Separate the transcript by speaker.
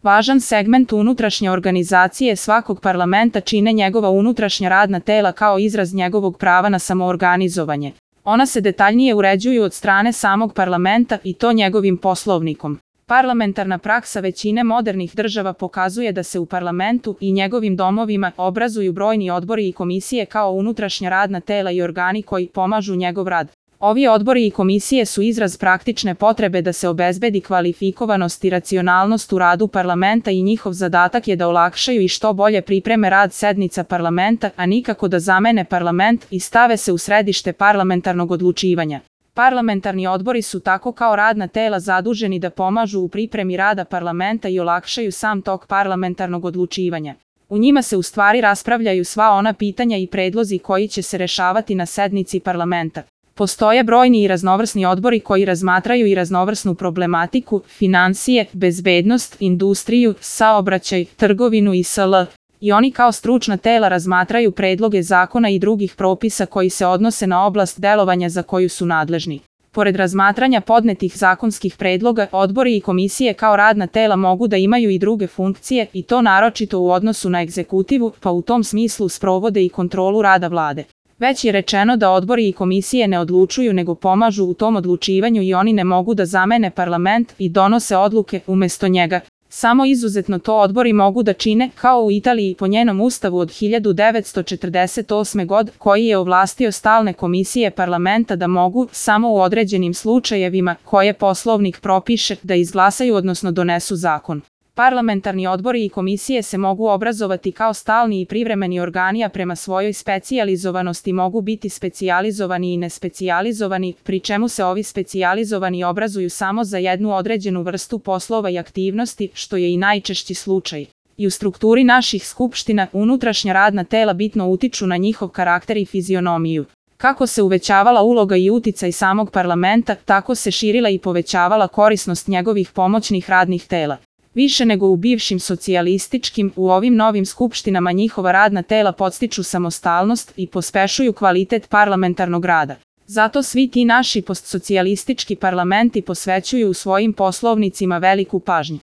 Speaker 1: Važan segment unutrašnje organizacije svakog parlamenta čine njegova unutrašnja radna tela kao izraz njegovog prava na samoorganizovanje. Ona se detaljnije uređuju od strane samog parlamenta i to njegovim poslovnikom. Parlamentarna praksa većine modernih država pokazuje da se u parlamentu i njegovim domovima obrazuju brojni odbori i komisije kao unutrašnja radna tela i organi koji pomažu njegov rad. Ovi odbori i komisije su izraz praktične potrebe da se obezbedi kvalifikovanost i racionalnost u radu parlamenta i njihov zadatak je da olakšaju i što bolje pripreme rad sednica parlamenta, a nikako da zamene parlament i stave se u središte parlamentarnog odlučivanja. Parlamentarni odbori su tako kao radna tela zaduženi da pomažu u pripremi rada parlamenta i olakšaju sam tok parlamentarnog odlučivanja. U njima se u stvari raspravljaju sva ona pitanja i predlozi koji će se rešavati na sednici parlamenta. Postoje brojni i raznovrsni odbori koji razmatraju i raznovrsnu problematiku, finansije, bezbednost, industriju, saobraćaj, trgovinu i sl. I oni kao stručna tela razmatraju predloge zakona i drugih propisa koji se odnose na oblast delovanja za koju su nadležni. Pored razmatranja podnetih zakonskih predloga, odbori i komisije kao radna tela mogu da imaju i druge funkcije i to naročito u odnosu na egzekutivu, pa u tom smislu sprovode i kontrolu rada vlade. Već je rečeno da odbori i komisije ne odlučuju nego pomažu u tom odlučivanju i oni ne mogu da zamene parlament i donose odluke umesto njega. Samo izuzetno to odbori mogu da čine, kao u Italiji po njenom ustavu od 1948. godine, koji je ovlastio stalne komisije parlamenta da mogu, samo u određenim slučajevima, koje poslovnik propiše, da izglasaju odnosno donesu zakon. Parlamentarni odbori i komisije se mogu obrazovati kao stalni i privremeni organi, a prema svojoj specijalizovanosti mogu biti specijalizovani i nespecijalizovani, pri čemu se ovi specijalizovani obrazuju samo za jednu određenu vrstu poslova i aktivnosti, što je i najčešći slučaj. I u strukturi naših skupština unutrašnja radna tela bitno utiču na njihov karakter i fizionomiju. Kako se uvećavala uloga i uticaj samog parlamenta, tako se širila i povećavala korisnost njegovih pomoćnih radnih tela. Više nego u bivšim socijalističkim, u ovim novim skupštinama njihova radna tela podstiču samostalnost i pospešuju kvalitet parlamentarnog rada. Zato svi ti naši postsocijalistički parlamenti posvećuju u svojim poslovnicima veliku pažnju.